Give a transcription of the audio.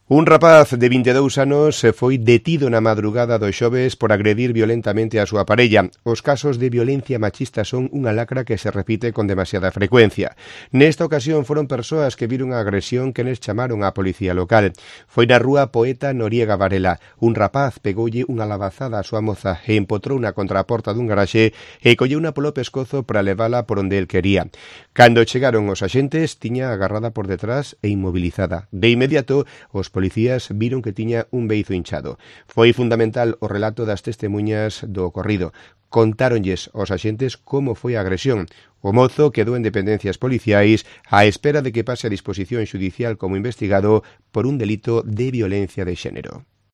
Un rapaz de 22 anos foi detido na madrugada do xoves por agredir violentamente a súa parella. Os casos de violencia machista son unha lacra que se repite con demasiada frecuencia. Nesta ocasión foron persoas que viron a agresión que les chamaron á policía local. Foi na rúa Poeta Noriega Varela. Un rapaz pegoulle unha labazada á súa moza e empotrouna contra a porta dun garaxe e colleuna polo pescozo para levala por onde el quería. Cando chegaron os axentes, tiña agarrada por detrás e inmobilizada. De inmediato, os policías viron que tiña un beizo hinchado. Foi fundamental o relato das testemuñas do ocorrido. Contáronlles aos axentes como foi a agresión. O mozo quedou en dependencias policiais á espera de que pase a disposición xudicial como investigado por un delito de violencia de xénero.